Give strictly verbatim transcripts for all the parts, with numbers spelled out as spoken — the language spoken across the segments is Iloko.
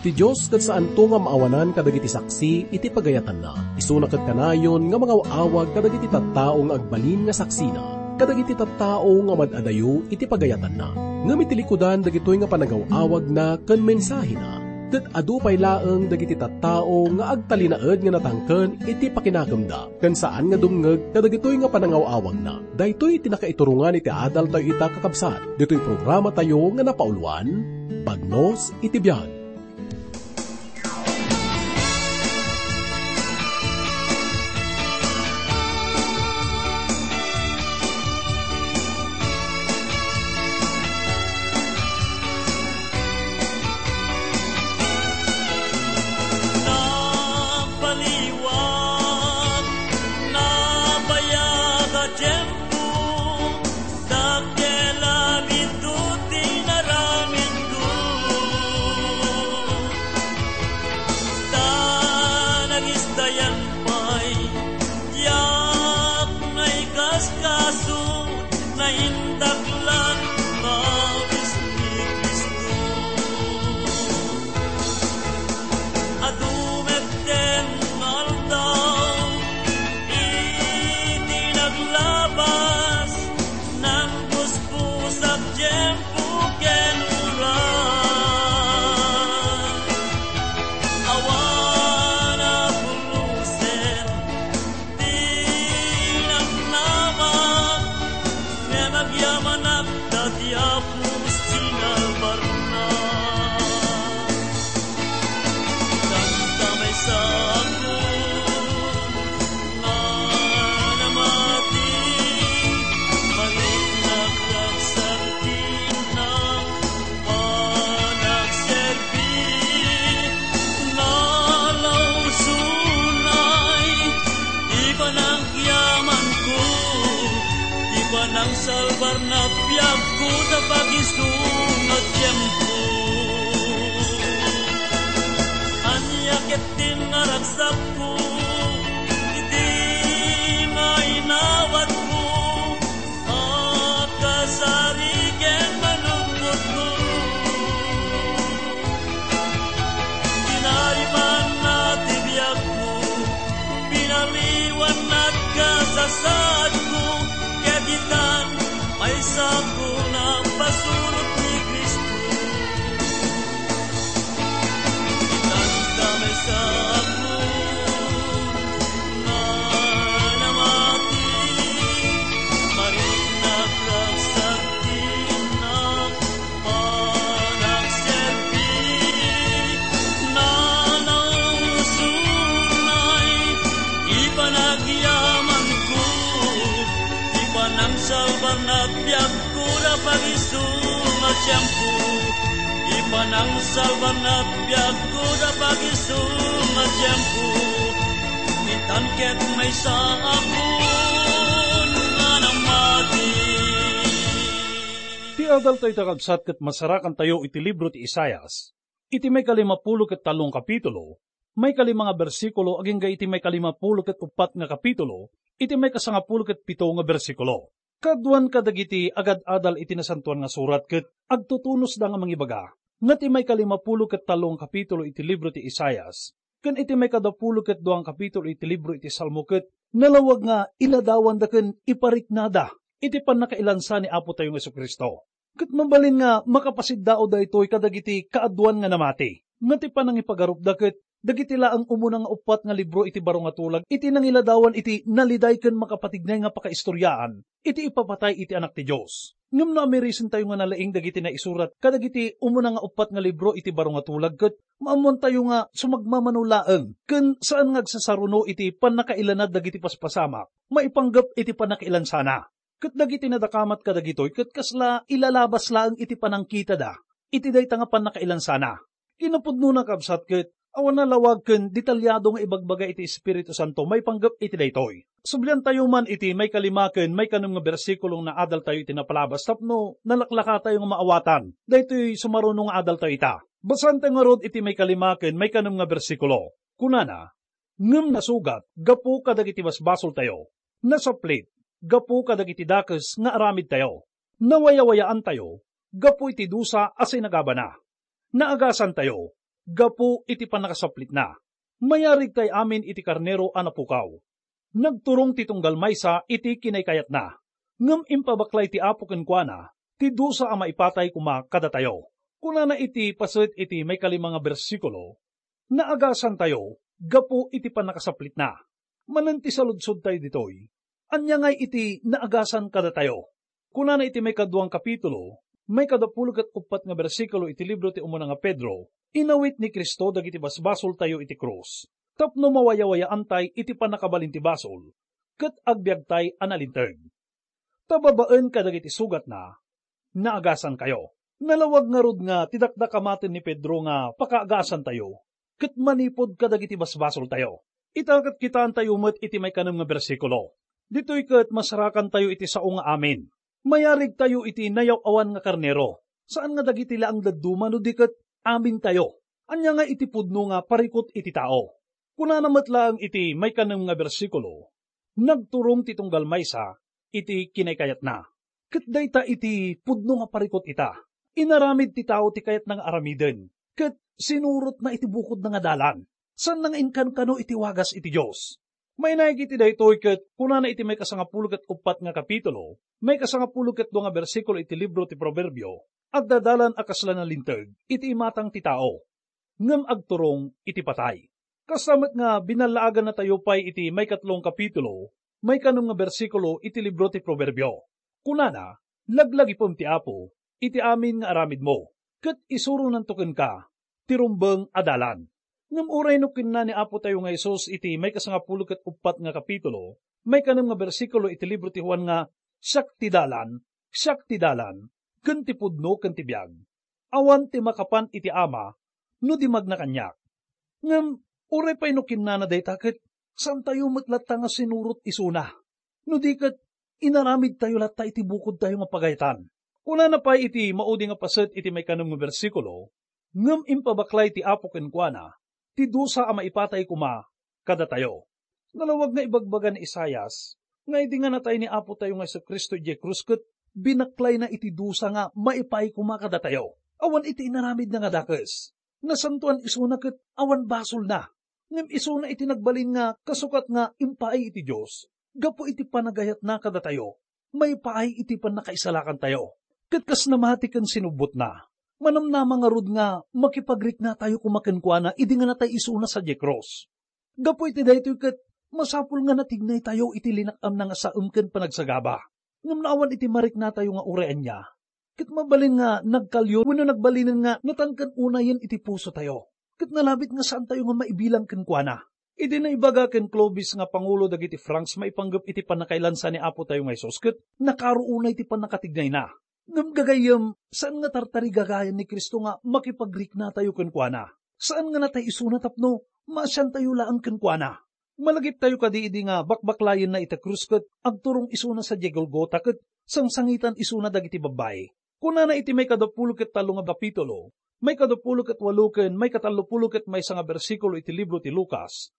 Ti Dios ket saanto nga maawanan kadagiti saksi iti pagayatanna. Isuna ket kanayon nga mangaw-awag kadagiti tattao nga agbalin nga saksina, kadagiti tattao nga mad-adayo iti pagayatanna. Ngem iti likudan dagitoy nga panagaw-awagna ken mensahena, ket adu pay laeng dagiti tattao nga agtalinaed nga natangken iti pakinakemda, ken saan nga dumngeg kadagitoy nga panangaw-awagna. Daytoy ti nakaiturongan iti adaltayo ita, kakabsat. Ditoy programatayo nga napauluan, Bagnos iti Biag. Napaliwat, nabayag a tiempo, dakkel a biit ti inaramidko. Ta nagisdayan pay, diak naikaskaso, naindaklan nga awis ni Cristo. Adu metten nga aldaw, iti naglabas, nanggusgos a tiempo ken oras. Awan a pulosen ti namnama, ngem agyamanak ta ti Apo sinalbarna. Tanta maysa a nga namati, mariknak ragsak ti innak panagserbi, nalausonay ti panagyamanko, ti panangsalbar na biagko ta pagisu nga tiempo. Ania ketdin nga ragsakko iti nga inawatko a kasari ken manunotko? Tinarimanna ti biagko, pinaliwanna ti kasasaadko, ket itan, maysako napasurot ni Cristo. Itanta maysako nga namati, mariknak ragsak ti innak panagserbi, nalausonay ti panagyamanko, ti panangsalbar na biag Kura pagisu nga tiempo, ipanangsalbar na biagko da pagisu nga tiempo, itan ket maysa a kun nga namati. Ti adaltayo ita, kabsat, ket masarakantayo iti libro ti Isaias. Iti maikalimapulo ket tallo nga kapitulo, maikalima nga bersikulo agingga iti maikalimapulo ket uppat nga kapitulo, iti maikasangapulo ket pito nga bersikulo. Kaaduan kadagiti agad-adal iti Nasantoan nga Surat ket agtutunosda nga mangibaga nga ti maikalimapulo ket tallo nga kapitulo iti libro ti Isaias ken iti maikadapulo ket dua nga kapitulo iti libro iti Salmo ket nalawag nga iladawanda ken ipariknada iti pannakailansa ni Apo tayo nga Jesu-Cristo. Ket mabalin nga makapasiddaw daytoy kadagiti kaaduan nga namati, nga ti panangipagarupda ket dagiti laeng umuna nga uppat nga libro iti baro nga tulag iti nangiladawan iti naliday ken makapatignay nga pakaistoriaan iti ipapatay iti Anak ti Dios. Ngem no amirisentayo nga nalaing dagiti naisurat kadagiti umuna nga uppat nga libro iti baro nga tulag, ket maammoantayo nga sumagmamano laeng ken saan nga agsasaruno iti pannakailanad dagiti paspasamak maipanggep iti pannakailansana. Ket dagiti nadakamat kadagitoy ket kasla ilalabas laeng iti panangkitada iti dayta nga pannakailansana. Kinapudnona, kabsat, ket awan a lawag ken detalyado nga ibagbaga iti Espiritu Santo maipanggep iti daytoy. Subliantayo man iti maikalima ken maikanem nga bersikulong naadaltayo iti napalabas tapno nalaklakatayo nga maawatan daytoy sumaruno nga adaltayo ita. Basaentayo ngarud iti maikalima ken maikanem nga bersikulo. Kunana, "Ngem nasugat gapu kadagiti basbasoltayo, nasaplit gapu kadagiti dakes nga aramidtayo, nawayawayaantayo gapu iti dusa a sinagabana, naagasantayo gapu iti pannakasaplitna. Mayarig tay amin iti karnero a napukaw. Nagturong ti tunggal maysa iti kinaykayatna, ngem impabaklay ti Apo kenkuana ti dusa a maipatay koma kadatayo. Kunana iti paset iti maikalima nga bersikulo, "Naagasantayo gapu iti pannakasaplitna." Manen ti saludsodtayo ditoy, ania ngay iti naagasan kadatayo? Kunana iti maikaduang kapitulo, maikadapulo ket uppat nga bersikulo iti libro ti umuna nga Pedro, "Inawit ni Cristo dagiti basbasoltayo iti krus, tapno mawayawayaantay iti pannakabalin ti basol, ket agbiagtay a nalinteg." Ta babaen kadagiti sugatna, naagasankayo. Nalawag ngarud nga ti dakdakamaten ni Pedro nga pakaagasantayo ket manipud kadagiti basbasoltayo. Ita ket kitaentayo met iti maikanem nga bersikulo. Ditoy ket masarakantayo iti sao nga amin. Mayarigtayo iti nayaw-awan nga karnero, saan nga dagiti laeng dadduma no di ket amintayo. Ania nga iti pudno nga parikut iti tao? Kunana met laeng iti maikanem nga bersikulo, "Nagturong ti tunggal maysa iti kinaykayatna." Ket dayta iti pudno nga parikut ita. Inaramid ti tao ti kayatna nga aramiden, ket sinurotna iti bukodna nga dalan. Saanna nga inkankano iti wagas iti Dios. Mainaig iti daytoy ket kunana iti maikasangapulo ket uppat nga kapitulo, maikasangapulo ket dua nga bersikulo iti libro ti Proverbio, "Agdadalan a kasla nalinteg iti imatang ti tao, ngem agturong iti patay." Kasta met nga binallaagannatayo pay iti maikatlong kapitulo, maikanem nga bersikulo iti libro ti Proverbio. Kunana, "Laglagipem ti Apo iti amin nga aramidmo, ket isuronanto kenka ti rumbeng a dalan." Ngem uray no kinuna ni Apotayo nga Jesus iti maikasangapulo ket uppat nga kapitulo, maikanem nga bersikulo iti libro ti Juan nga, "Siak ti dalan, siak ti dalan, ken ti pudno, ken ti biag. Awan ti makapan iti Ama, no di magna kaniak." Ngem uray pay no kinnana dayta ket saantayo met latta nga sinurot isuna. No di ket inaramidtayo latta iti bukodtayo nga pagayatan. Kunana pay iti maudi nga paset iti maikanem nga bersikulo, "Ngem impabaklay ti Apo kenkuana ti dusa a maipatay koma kadatayo." Nalawag nga ibagbaga ni Isaias nga idi nga natay ni Apotayo nga Jesu-Cristo idiay krus ket binaklayna iti dusa nga maipay koma kadatayo. Awan iti inaramidna nga dakes. Nasantoan isuna ket awan basolna. Ngem isuna iti nagbalin nga kasukat nga impaay iti Dios gapu iti panagayatna kadatayo, maipaay iti pannakaisalakantayo. Ket kas namati ken sinubbotna, manamnama ngarud nga makipagriknatayo koma kenkuana idi nga natay isuna sadiay krus. Gapu iti daytoy ket masapul nga natignaytayo iti linak-amna nga saem ken panagsagaba. Ngem no awan iti mariknatayo nga uray ania, ket mabalin nga nagkalyo wenno nagbalinen nga natangken unayen iti pusotayo, ket nalabit nga saantayo nga maibilang kenkuana. Idi naibaga ken Clovis nga pangulo dagiti Franks maipanggep iti pannakailansa ni Apotayo nga Jesus, ket nakaro unay ti pannakatignayna. Ngem gagayyem, saan nga tartarigagayan ni Cristo nga makipagriknatayo kenkuana. Saan nga natay isuna tapno maasiantayo laeng kenkuana. Malagiptayo kadi idi nga bakbaklayenna iti krus ket agturong isuna sadiay Golgota ket sangsangitan isuna dagiti babbai. Kunana iti maikadapulo ket tallo nga kapitulo, maikadapulo ket walo ken maikatallopulo ket maysa nga bersikulo iti libro ti Lucas,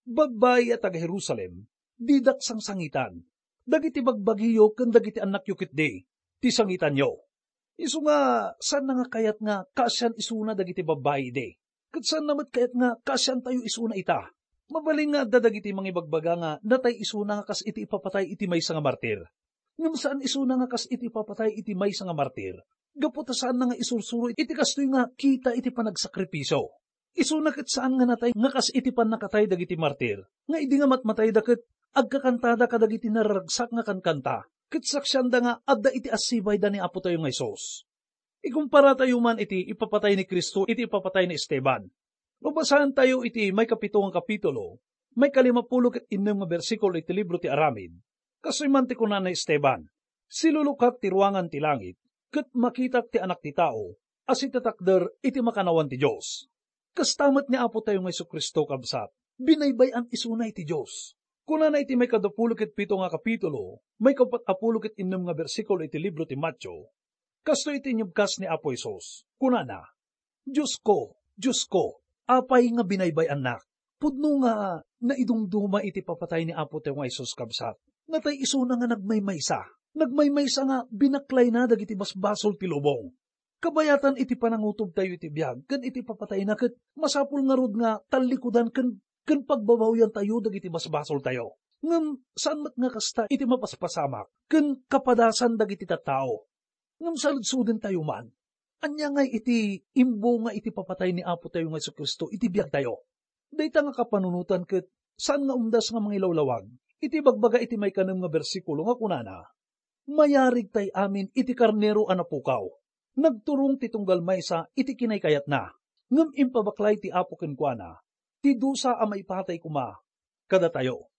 "Babbai a taga-Jerusalem, didak sangsangitan. Dagiti bagbagiyo ken dagiti annakyo ketdi ti sangitanyo." Isu nga, saanna nga kayat nga kaasian isuna dagiti babbai idi. Ket saanna met kayat nga kaasiantayo isuna ita. Mabalin nga adda dagiti mangibagbaga nga natay isuna nga kas iti ipapatay iti maysa nga martir. Ngem saan isuna nga kas iti ipapatay iti maysa nga martir, gapu ta saanna nga isursuro iti kastoy nga kita iti panagsakripisio. Isuna ket saan nga natay nga kas iti pannakatay dagiti martir, nga idi nga matmatayda ket agkakantada kadagiti nararagsak nga kankanta, ket saksianda nga adda iti assibayda ni Apotayo nga Jesus. Ikumpara tayo man iti ipapatay ni Cristo iti ipapatay ni Esteban. No basaentayo iti maikapito nga kapitulo, maikalimapulo ket innem nga bersikulo iti libro ti Aramid, kastoy man ti kuna ni Esteban, "Silulukak ti ruangan ti langit, ket makitak ti Anak ti Tao a sitatakder iti makannawan ti Dios." Kasta met ni Apotayo nga Jesu-Cristo, kabsat, binaybay-an isuna iti Dios. Kunana iti maikadapulo ket pito nga kapitulo, maikapat-apulo ket innem nga bersikulo iti libro ti Mateo, kastoy iti inyebkas ni Apo Jesus. Kunana, "Diosko, Diosko, apay nga binaybay-annak?" Pudno nga naidumduma iti papatay ni Apotayo nga Jesus, kabsat. Natay isuna nga nagmaymaysa. Nagmaymaysa nga binaklayna dagiti basbasol ti lubong. Kabayatan iti panangutobtayo iti biag ken iti papatayna, ket masapul ngarud nga tallikudan ken, ken pagbabawiantayo dagiti basbasoltayo. Ngem saan met nga kasta iti mapaspasamak ken kapadasan dagiti tattao. Ngem saludsodentayo man, ania ngay iti imbunga iti papatay ni Apotayo nga Jesu-Cristo iti biagtayo? Dayta nga kapanunotan ket saan nga umdas nga mangilawlawag iti bagbaga iti maikanem nga bersikulo nga kunana, "Mayarigtay amin iti karnero a napukaw. Nagturong ti tunggal maysa iti kinaykayatna, ngem impabaklay ti Apo kenkuana ti dusa a maipatay koma kadatayo."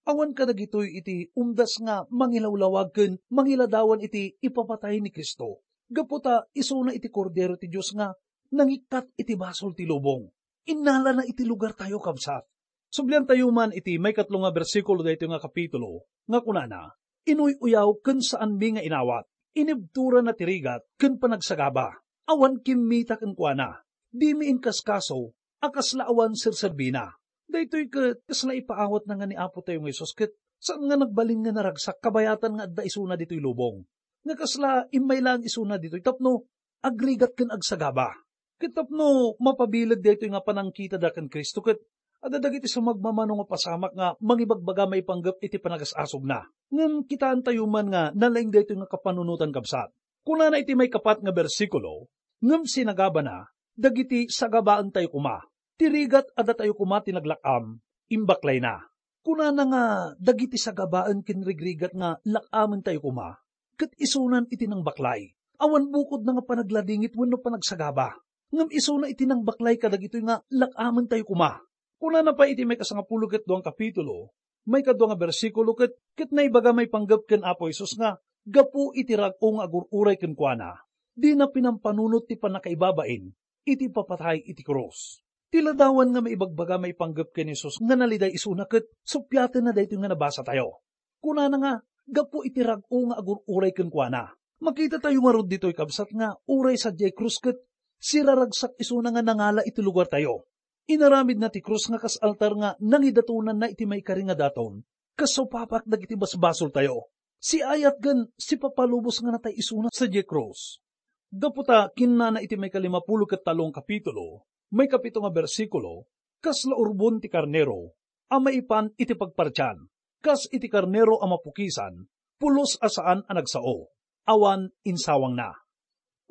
Awan kadagitoy iti umdas nga mangilawlawag ken mangiladawan iti ipapatay ni Cristo, gapu ta isuna iti Kordero ti Dios nga nangikkat iti basol ti lubong. Innalana iti lugartayo, kabsat. Subliantayo man iti maikatlo nga bersikulo daytoy nga kapitulo nga kunana, "Inuy-uyaw ken saanmi nga inawat. Inibturana ti rigat ken panagsagaba. Awan kimmita kenkuana. Dimi inkaskaso a kasla awan serserbina." Daytoy ket kasla ipaawatna nga ni Apotayo nga Jesus ket saan nga nagbalin nga naragsak kabayatan nga adda isuna ditoy lubong. Nga kasla immay laeng isuna ditoy tapno agrigat ken agsagaba. Ket tapno mapabileg daytoy nga panangkitada ken Cristo ket adda dagiti sumagmamano nga pasamak nga mangibagbaga maipanggep iti panagas-asogna. Ngem kitaentayo man nga nalaing daytoy nga kapanunotan, kabsat. Kunana iti maikapat nga bersikulo, "Ngem sinagabana, dagiti sagabaentayo koma. Ti rigat a datayo koma ti naglak-am, imbaklayna." Kunana nga dagiti sagabaen ken rigrigat nga lak-amentayo koma, ket isunan iti nangbaklay. Awan bukodna nga panagladingit wenno panagsagaba, ngem isuna iti nangbaklay kadagitoy nga lak-amentayo koma. Kunana pay iti maikasangapulo ket dua nga kapitulo, maikadua nga bersikulo, ket, ket naibaga maipanggep ken Apo Jesus nga gapu iti rag-o nga agur-uray kenkuana, dina pinampanunot ti pannakaibabain iti papatay iti krus. Ti ladawan nga maibagbaga maipanggep ken Jesus nga naliday isuna ket suppiatenna daytoy nga nabasatayo. Kunana nga, gapu iti rag-o nga agur-uray kenkuana. Makitatayo ngarud ditoy, kabsat, nga uray sadiay krus ket siraragsak isuna nga nangala iti lugartayo. Inaramidna ti krus nga kas altar nga nangidatonanna iti maikari nga daton, kas supapak dagiti basbasoltayo. Siayat ken sipapalubos nga natay isuna sadiay krus. Gapu ta kinnana iti maikalimapulo ket tallo nga kapitulo, maikapito nga bersikulo, kasla urbon ti karnero a maipan iti pagpartian, kas iti karnero a mapukisan, pulos a saan a nagsao, awan insawangna.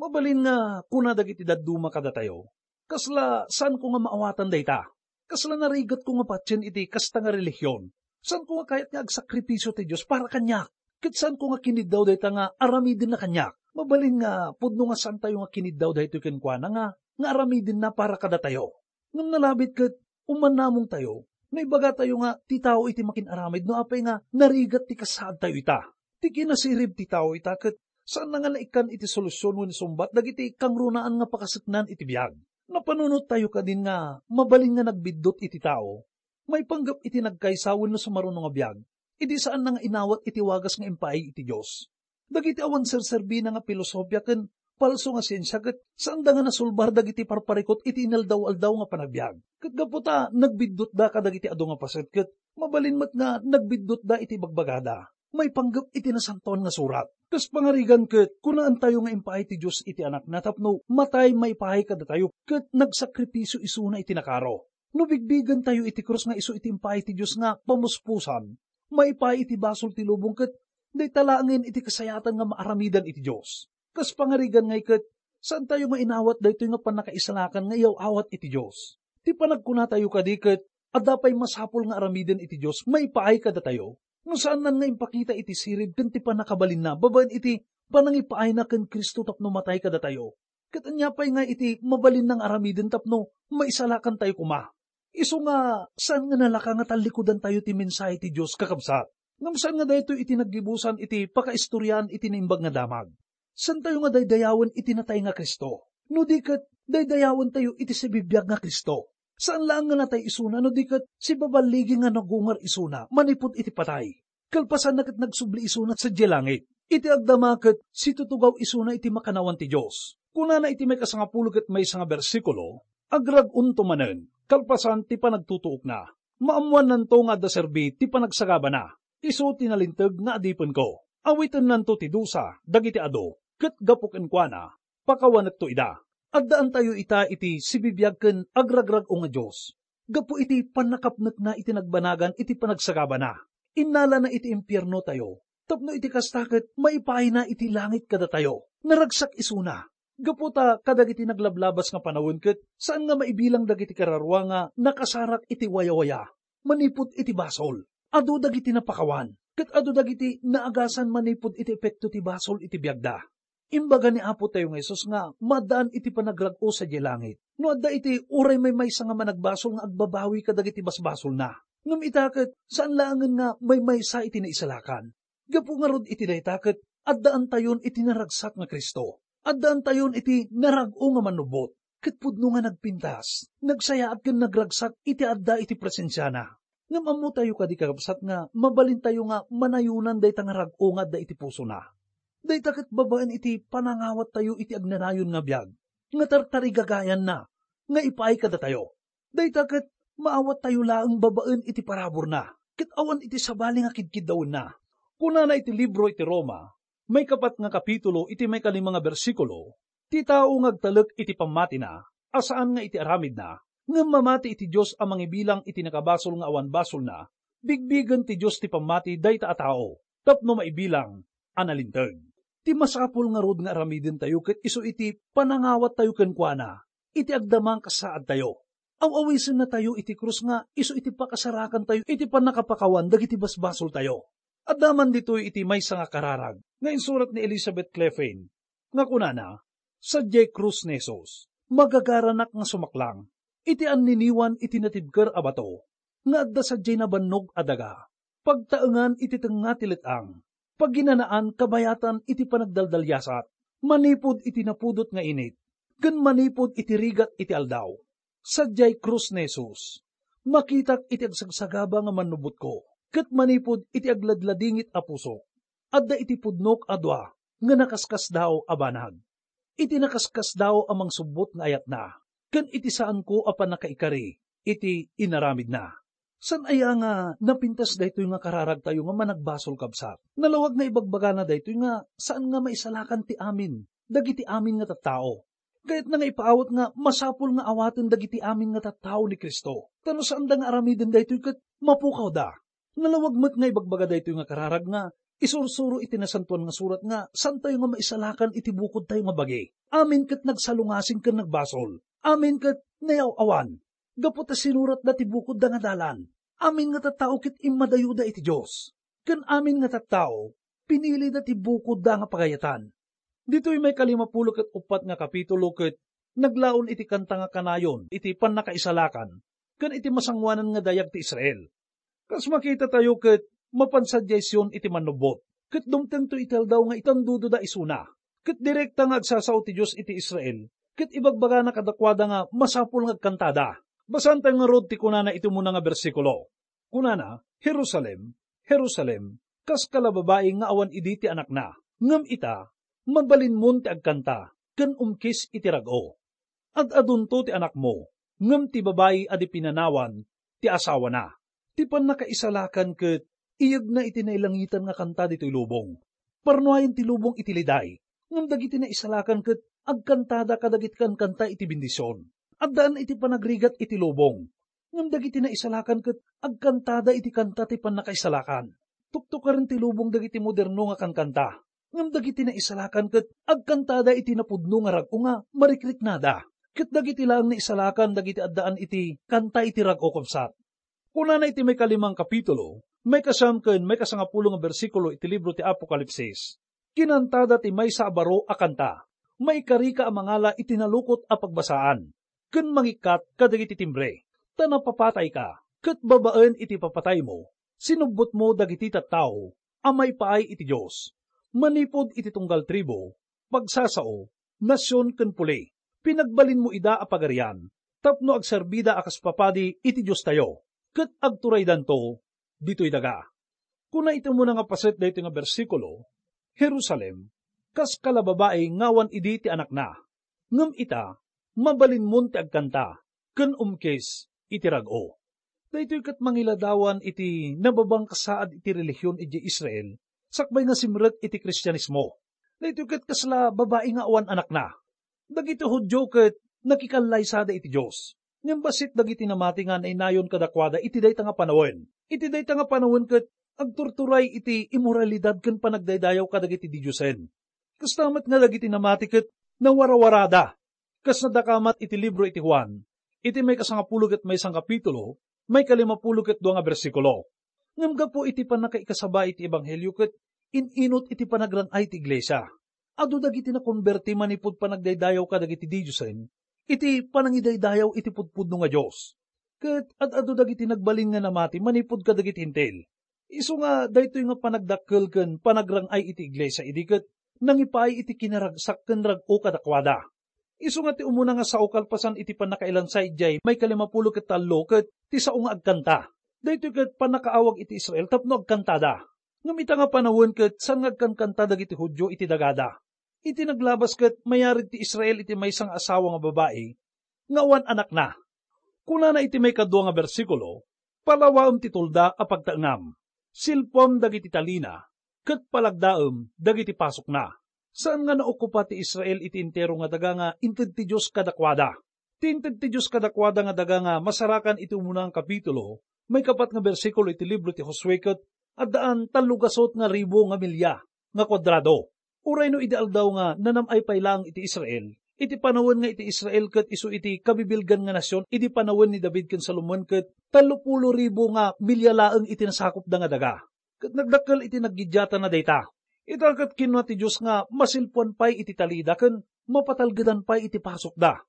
Mabalin nga kuna dagiti dadduma kadatayo, "Kasla saanko nga maawatan dayta? Kasla narigatko nga patien iti kasta nga relihion? Saanko nga kayat nga agsakripisio ti Dios para kaniak? Ket saanko nga kiniddaw dayta nga aramidenna kaniak?" Mabalin nga pudno nga saantayo nga kiniddaw daytoy kenkuana nga, nga aramidenna para kadatayo. Ngem nalabit ket umannamongtayo no ibagatayo nga ti tao iti makin-aramid no apay nga narigat ti kasaadtayo ita. Ti kinasirib ti tao ita ket saanna nga naikkan iti solusion wenno sumbat dagiti kangrunaan nga pakaseknan iti biag. Napanunottayo kadin nga mabalin nga nagbiddut iti tao maipanggep iti nagkaysa wenno sumaruno nga biag, idi saanna nga inawat iti wagas nga impaay iti Dios. Dagiti awan serserbina nga pilosopia ken palso nga siensia ket saanda nga nasulbar dagiti parparikut iti inaldaw-aldaw nga panagbiag. Ket gapu ta nagbiddutda kadagiti adu nga paset ket mabalin met nga nagbiddutda iti bagbagada maipanggep iti Nasantoan nga Surat. Kas pangarigan ket, kunaentayo nga impaay ti Dios iti Anakna tapno matay maipaay kadatayo ket nagsakripisio isuna iti nakaro. No bigbigentayo iti krus nga isu iti impaay ti Dios nga pamuspusan, maipaay iti basol ti lubong ket dayta laengen iti kasayatan nga maaramidan iti Dios. Kas pangarigan ngay ket, saantayo nga inawat daytoy nga pannakaisalakan nga iyaw-awat iti Dios. Ti panagkunatayo kadi ket, adda pay masapul nga aramiden iti Dios maipaay kadatayo, no saannan nga impakita iti sirib ken ti pannakabalinna babaen iti panangipaayna ken Cristo tapno matay kadatayo. Ket ania pay nga iti mabalinna nga aramiden tapno maisalakantayo koma? Isu nga, saan nga nalaka nga tallikudantayo ti mensahe ti Dios, kakabsat. Ngem saan nga daytoy iti naggibusan iti pakaistoriaan iti Naimbag nga Damag. Saantayo nga daydayawen iti natay nga Cristo, no di ket daydayawentayo iti sibibiag nga Cristo. Saan laeng nga natay isuna, no di ket sibaballigi nga nagungar isuna manipud iti patay. Kalpasanna ket nagsubli isuna sadiay langit. Iti agdama ket situtugaw isuna iti makannawan ti Dios. Kunana iti maikasangapulo ket maysa nga bersikulo, "Agrag-onto manen, kalpasan ti panagtutuokna. Maammoannanto nga adda serbi ti panagsagabana. Isu ti nalinteg nga adipenko. Awitennanto ti dusa dagiti adu, ket gapu kenkuana, pakawanekto ida. Addaantayo ita iti sibibiag ken agragrag-o nga Dios. Gapu iti pannakapnekna iti nagbanagan iti panagsagabana, innalana iti impiernotayo, tapno iti kasta ket maipaayna iti langit kadatayo. Naragsak isuna. Gapu ta kadagiti naglablabas nga panawen ket saan nga maibilang dagiti kararua nga nakasarak iti wayawaya manipud iti basol. Adu dagiti napakawan, ket adu dagiti naagasan manipud iti epekto ti basol iti biagda. Imbaga ni Apo tayo nga Jesus nga maaddaan iti panagrag-o sadiay langit. No adda iti uray maymaysa nga managbasol nga agbabawi kadagiti basbasolna. Ngem ita ket saan laengen nga maymaysa iti naisalakan. Gapu ngarud iti dayta ket addaantayon iti naragsak nga Cristo. Addaantayon iti narag-o nga mannubbot. Ket pudno nga nagpintas, nagsayaat ken nagragsak iti adda iti presensiana. Ngem ammotayo kadi, kakabsat, nga mabalintayo nga manayonan dayta nga rag-o nga adda iti pusona. Dayta ket babaen iti panangawattayo iti agnanayon nga biag nga tartarigagayanna nga ipaay kadatayo. Dayta ket maawattayo laeng babaen iti paraburna ket awan iti sabali nga kidkiddawenna. Kunana iti libro iti Roma, maikapat nga kapitulo iti maikalima nga bersikulo, ti tao nga agtalek iti pammatina a saan nga iti aramidna, ngem mamati iti Dios a mangibilang iti nakabasol nga awan basolna, bigbigen ti Dios ti pammati dayta a tao tapno maibilang a nalinteg. Ti masapul ngarud nga aramidentayo ket isu iti panangawattayo kenkuana iti agdama nga kasaadtayo. Aw-awisennatayo iti krus nga isu iti pakasarakantayo iti pannakapakawan dagiti basbasoltayo. Adda man ditoy iti maysa nga kararag nga insurat ni Elizabeth Clefin nga kunana, "Sadiay krus ni Jesus, magagaranak nga sumaklang iti anniniwan iti natibker a bato nga adda sadiay nabannog a daga, pagtaengan iti tengnga ti let-ang, paginanaan kabayatan iti panagdaldaliasat, manipud iti napudot nga init, ken manipud iti rigat iti aldaw. Sadiay krus ni Jesus, makitak iti agsagsagaba nga mannubbotko, ket manipud iti agladladingit a pusok, adda iti pudnok a dua nga nakaskasdaaw a banag. Iti nakaskasdaaw a mangsubbot nga ayatna, ken iti saanko a pannakaikari iti inaramidna." Saan aya nga napintas daytoy nga kararagtayo nga managbasol, kabsat? Nalawag nga ibagbagana daytoy nga saan nga maisalakan ti amin dagiti amin nga tattao. Kayatna nga ipaawat nga masapul nga awaten dagiti amin nga tattao ni Cristo. Ta no saanda nga aramiden daytoy ket mapukawda. Nalawag met nga ibagbaga daytoy nga kararag nga isursuro iti Nasantoan nga Surat nga saantayo nga maisalakan iti bukodtayo nga bagi. Amin ket nagsalungasing ken nagbasol. Amin ket nayaw-awan. Gapu ta sinuratda ti bukodda nga dalan. Amin nga tattao ket immadayoda iti Dios. Ken amin nga tattao, pinilida ti bukodda nga pagayatan. Ditoy maikalimapulo ket uppat nga kapitulo ket naglaon iti kanta nga kanayon iti pannakaisalakan ken iti masangoanan nga dayag ti Israel. Kas makitatayo ket mapan sadiay Sion iti mannubbot, ket dumtengto iti aldaw nga itandudoda isuna. Ket direkta nga agsasao ti Dios iti Israel, ket ibagbagana kadakuada nga masapul nga agkantada. Basaentayo ngarud ti kunana iti umuna nga bersikulo. Kunana, "Jerusalem, Jerusalem, kas kalababai nga awan idi ti anakna. Ngem ita, mabalinmon ti agkanta ken umkis iti rag-o. Ad-adunto ti anakmo, ngem ti babai a di pinanawan ti asawana." Ti pannakaisalakan ket iyegna iti nailangitan nga kanta ditoy lubong. Parnuayen ti lubong iti liday, ngem dagiti naisalakan ket agkantada kadagiti kankanta iti bendision. Addaan iti panagrigat iti lubong, ngem dagiti naisalakan ket agkantada iti kanta ti pannakaisalakan. Tuktukaren ti lubong dagiti moderno nga kankanta, ngem dagiti naisalakan ket agkantada iti napudno nga rag-o nga marikriknada. Ket dagiti laeng naisalakan dagiti addaan iti kanta iti rag-o, kabsat. Kunana iti maikalimang kapitulo, maikasiam ken maikasangapulo nga bersikulo iti libro ti Apokalipsis, "Kinantada ti maysa a baro a kanta. Maikarika a mangala iti nalukot a pagbasaan, ken mangikkat kadagiti timbre, ta napapatayka, ket babaen iti papataymo, sinubbotmo dagiti tattao a maipaay iti Dios, manipud iti tunggal tribu, pagsasao, nasion ken puli. Pinagbalinmo ida a pagarian tapno agserbida a kas papadi iti Diostayo, ket agturaydanto ditoy daga." Kuna iti umuna nga paset daytoy nga bersikulo, "Jerusalem, kas kalababai nga awan idi ti anakna. Ngem ita, mabalinmon ti agkanta ken umkis iti rag-o." Daytoy ket mangiladawan iti nababangkasaad iti relihion idiay Israel sakbay nga simrek iti Kristianismo. Daytoy ket kasla babai nga awan anakna. Dagiti Judio ket nakikallaysada iti Dios. Ngem bassit dagiti namati nga nainayon kadakuada iti dayta nga panawen. Iti dayta nga panawen ket agturturay iti imoralidad ken panagdaydayaw kadagiti didiosen. Kasta met nga dagiti namati ket nawarawarada. Kas nadakamat iti libro iti Juan, iti maikasangapulo ket maysa nga kapitulo, maikalimapulo ket dua nga bersikulo. Ngem gapu iti pannakaikasaba iti ebanghelio ket in-inut iti panagrang-ay ti iglesia. Adu dagiti nakonberti manipud panagdaydayaw kadagiti didiosen iti panangidaydayaw iti pudpudno nga Dios. Ket ad-adu dagiti nagbalin nga namati manipud kadagiti Hentil. Isu nga daytoy nga panagdakkel ken panagrang-ay iti iglesia idi ket nangipaay iti kinaragsak ken rag-o kadakuada. Isu nga ti umuna nga sao kalpasan iti pannakailansa idiay maikalimapulo ket tallo ket ti sao nga agkanta. Daytoy ket pannakaawag iti Israel tapno agkantada. Ngem ita nga panawen ket saan nga agkankanta dagiti Judio iti dagada. Iti naglabas ket mayarig ti Israel iti maysa nga asawa nga babai nga awan anakna. Kunana iti maikadua nga bersikulo, "Palawaem ti tulda a pagtaengam. Silpuam dagiti talina, ket palagdaem dagiti pasokna." Saan nga naokupa ti Israel iti entero nga daga nga inted ti Dios kadakuada. Ti inted ti Dios kadakuada nga daga nga masarakan iti umuna nga kapitulo, maikapat nga bersikulo iti libro ti Josue ket addaan tallo gasut nga ribu nga milya nga kuadrado. Uray no idi aldaw nga nanam-ay pay laeng iti Israel, iti panawen nga iti Israel ket isu iti kabibilgan nga nasion idi panawen ni David ken Salomon ket tallo pulo ribu nga milya laeng iti nasakopda nga daga. Ket nagdakkel iti naggidiatana dayta. Ita ket kinuna ti Dios nga masilpuan pay iti talida ken mapatalgedan pay iti pasokda.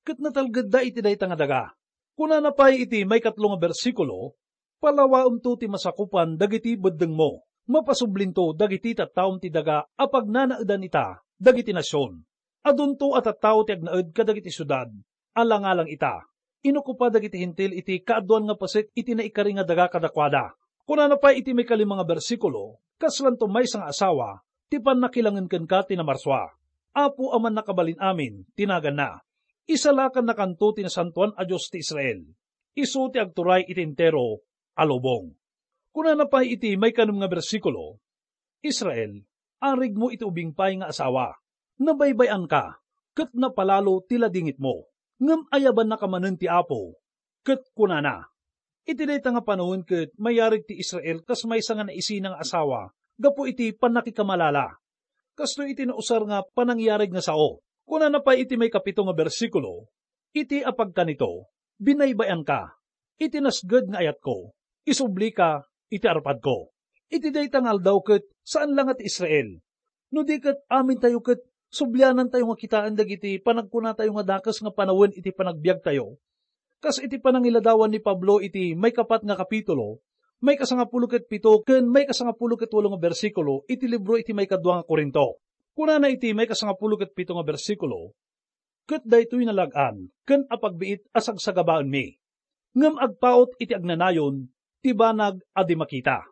Ket natalgedda iti dayta nga daga. Kunana pay iti maikatlo nga bersikulo, "Palawaemto ti masakupan dagiti beddengmo. Mapasublinto dagiti tattaom ti daga a pagnanaedan ita dagiti nasion. Adunto a tattao ti agnaed kadagiti siudad a langalang ita. Inokupa dagiti Hentil iti kaaduan nga paset iti naikari nga daga kadakuada." Kunana pay iti maikalima nga bersikulo, "Kaslanto maysa nga asawa ti pannakilangen kenka ti namarsua. Apo a Mannakabalin-amin ti naganna. Isalakannakanto ti Nasantoan a Dios ti Israel. Isu ti agturay iti entero a lubong." Kunana pay iti maikanem nga bersikulo, "Israel, arigmo iti ubing pay nga asawa. Nabaybay-anka, ket napalalo ti ladingitmo. Ngem ayabannaka manen ti Apo, ket kunana." Iti dayta nga panawen ket mayarig ti Israel kas maysa nga naisina nga asawa gapu iti pannakikamalala. Kastoy iti nausar nga panangyarig nga sao. Kunana pay iti maikapito nga bersikulo, "Iti apagkanito, binaybay-anka. Iti nasged nga ayatko, isublika iti arpadko." Iti dayta nga aldaw ket saan la nga ti Israel. No di ket amintayo ket sublianantayo nga kitaen dagiti panagkunatayo nga dakes nga panawen iti panagbiagtayo. Kas iti panangiladawan ni Pablo iti maikapat nga kapitulo, maikasangapulo ket pito ken maikasangapulo ket walo nga bersikulo iti libro iti maikadua nga Corinto. Kunana iti maikasangapulo ket pito nga bersikulo, "Ket daytoy nalag-an ken apagbiit a sagsagabaenmi, ngem agpaut iti agnanayon ti banag a di makita."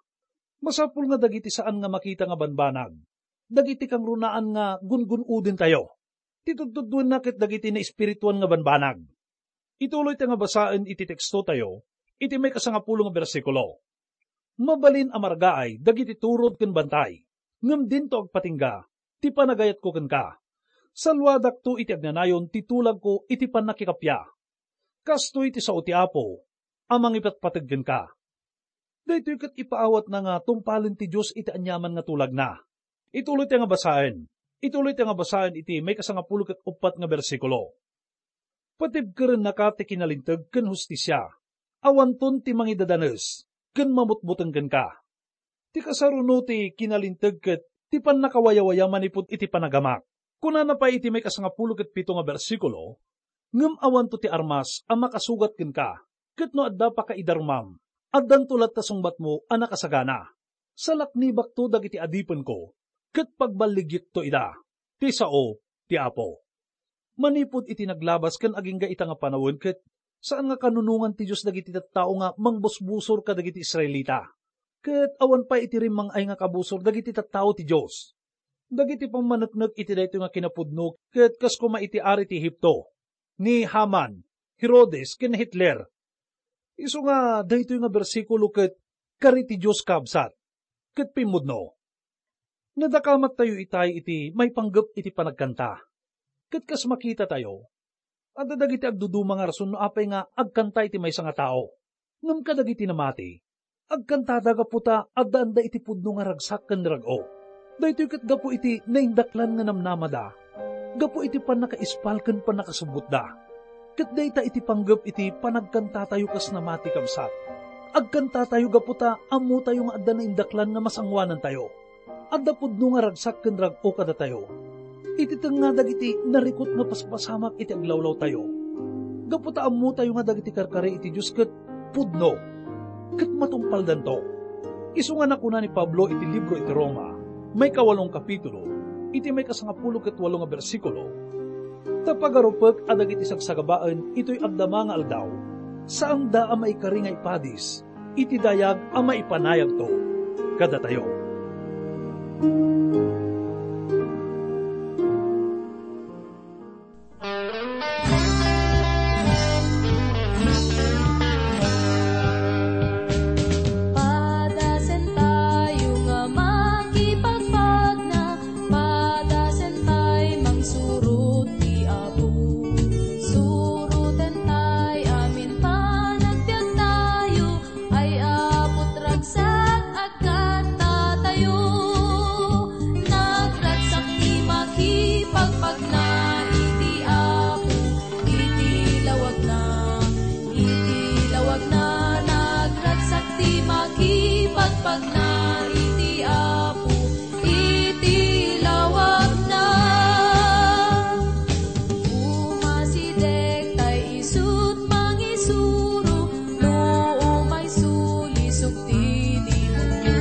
Masapul nga dagiti saan nga makita nga banbanag, dagiti kangrunaan nga gungun-odentayo, ti tudtuddoenna ket dagiti naespirituan nga banbanag. Ituloy ta nga basaen iti tekstotayo, iti maikasangapulo nga bersikulo, "Mabalin a margaay dagiti turod ken bantay, ngem dinto agpatingga ti panagayatko kenka. Saluadakto iti agnanayon ti tulagko iti pannakikappia. Kastoy ti sao ti Apo a mangipatpateg kenka." Daytoy ket ipaawatna nga tungpalen ti Dios iti aniaman nga tulagna. Ituloy ti nga basaen. Ituloy ti nga basaen iti maikasangapulo ket uppat nga bersikulo. "Patibkerennaka ti kinalinteg ken hustisia. Awanton ti mangidadanes ken mamutbuteng kenka." Ti kasaruno ti kinalinteg ket ti pannakawayawaya manipud iti panagamak. Kunana pay iti maikasangapulo ket pito nga bersikulo, "Ngem awanto ti armas a makasugat kenka, ket no adda pakaidarumam, addanto latta sungbatmo a nakasagana. Salaknibakto dagiti adipenko, ket pagballigyekto ida, ti sao ti Apo." Manipud iti naglabas ken agingga ita nga panawen ket saan nga kanunongan ti Dios dagiti tattao nga mangbusbusor kadagiti Israelita. Ket awan pay iti rimmang-ay nga kabusor dagiti tattao ti Dios. Dagiti pammaneknek iti daytoy nga kinapudno ket kas koma iti ari ti Egipto, ni Haman, Herodes, ken Hitler. Isu nga daytoy nga bersikulo ket kari ti Dios, kabsat, ket pimmudno. Nadakamattayo itay iti maipanggep iti panagkanta. Ket kas makitatayo, adda dagiti agduduma nga rason no apay nga agkanta iti maysa nga tao. Ngem kadagiti namati, agkantada gapu ta addaan da iti pudno nga ragsak ken rag-o. Daytoy ket gapu iti naindaklan nga namnamada, gapu iti pannakaispal ken pannakasubbotda. Ket dayta iti panggep iti panagkantatayo kas namati, kabsat. Agkantatayo gapu ta ammotayo nga adda naindaklan nga masangoanantayo. Adda pudno nga ragsak ken rag-o kadatayo. Iti tengnga dagiti narikut nga paspasamak iti aglawlawtayo. Gapu ta ammotayo nga dagiti karkari iti Dios ket pudno, ket matungpaldanto. Isu nga nakuna ni Pablo iti libro iti Roma, maikawalong kapitulo, iti maikasangapulo ket walo nga bersikulo, "Ta pagarupek a dagiti sagsagabaen itoy agdama nga aldaw, saanda a maikari nga ipadis iti dayag a maipanayagto kadatayo." Padasentayo nga makipagpagna, padasentay mangsurot ti Apo. Surotentay amin panagbiagtayo, ay Apo, ragsak agkantatayo. Nagragsak ti makipagpagna iti Apo, iti lawagna, iti lawagna. Nagragsak ti makipagpagna iti Apo, iti lawagna. Umasideg tay isut' mangisuro, no umayso lisog ti demonio.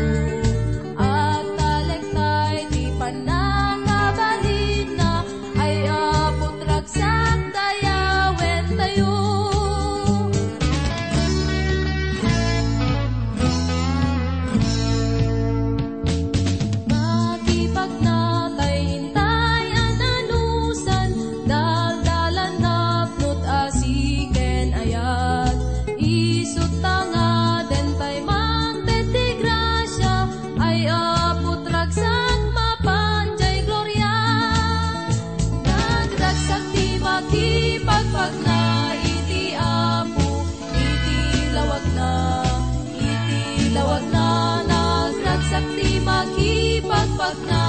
Agtalek tay ti pannakabalinna, ay Apo, ragsak dayawentayo. Makipagna tay intay a nanusan, daldalan napnot asi ken ayat. Isut' ta ngaden tay mangted ti grasia, ay Apo, ragsak mapan jay gloria. Nagragsak ti makipagpagna iti Apo, iti lawagna, iti lawagna. Nagragsak ti makipagpagna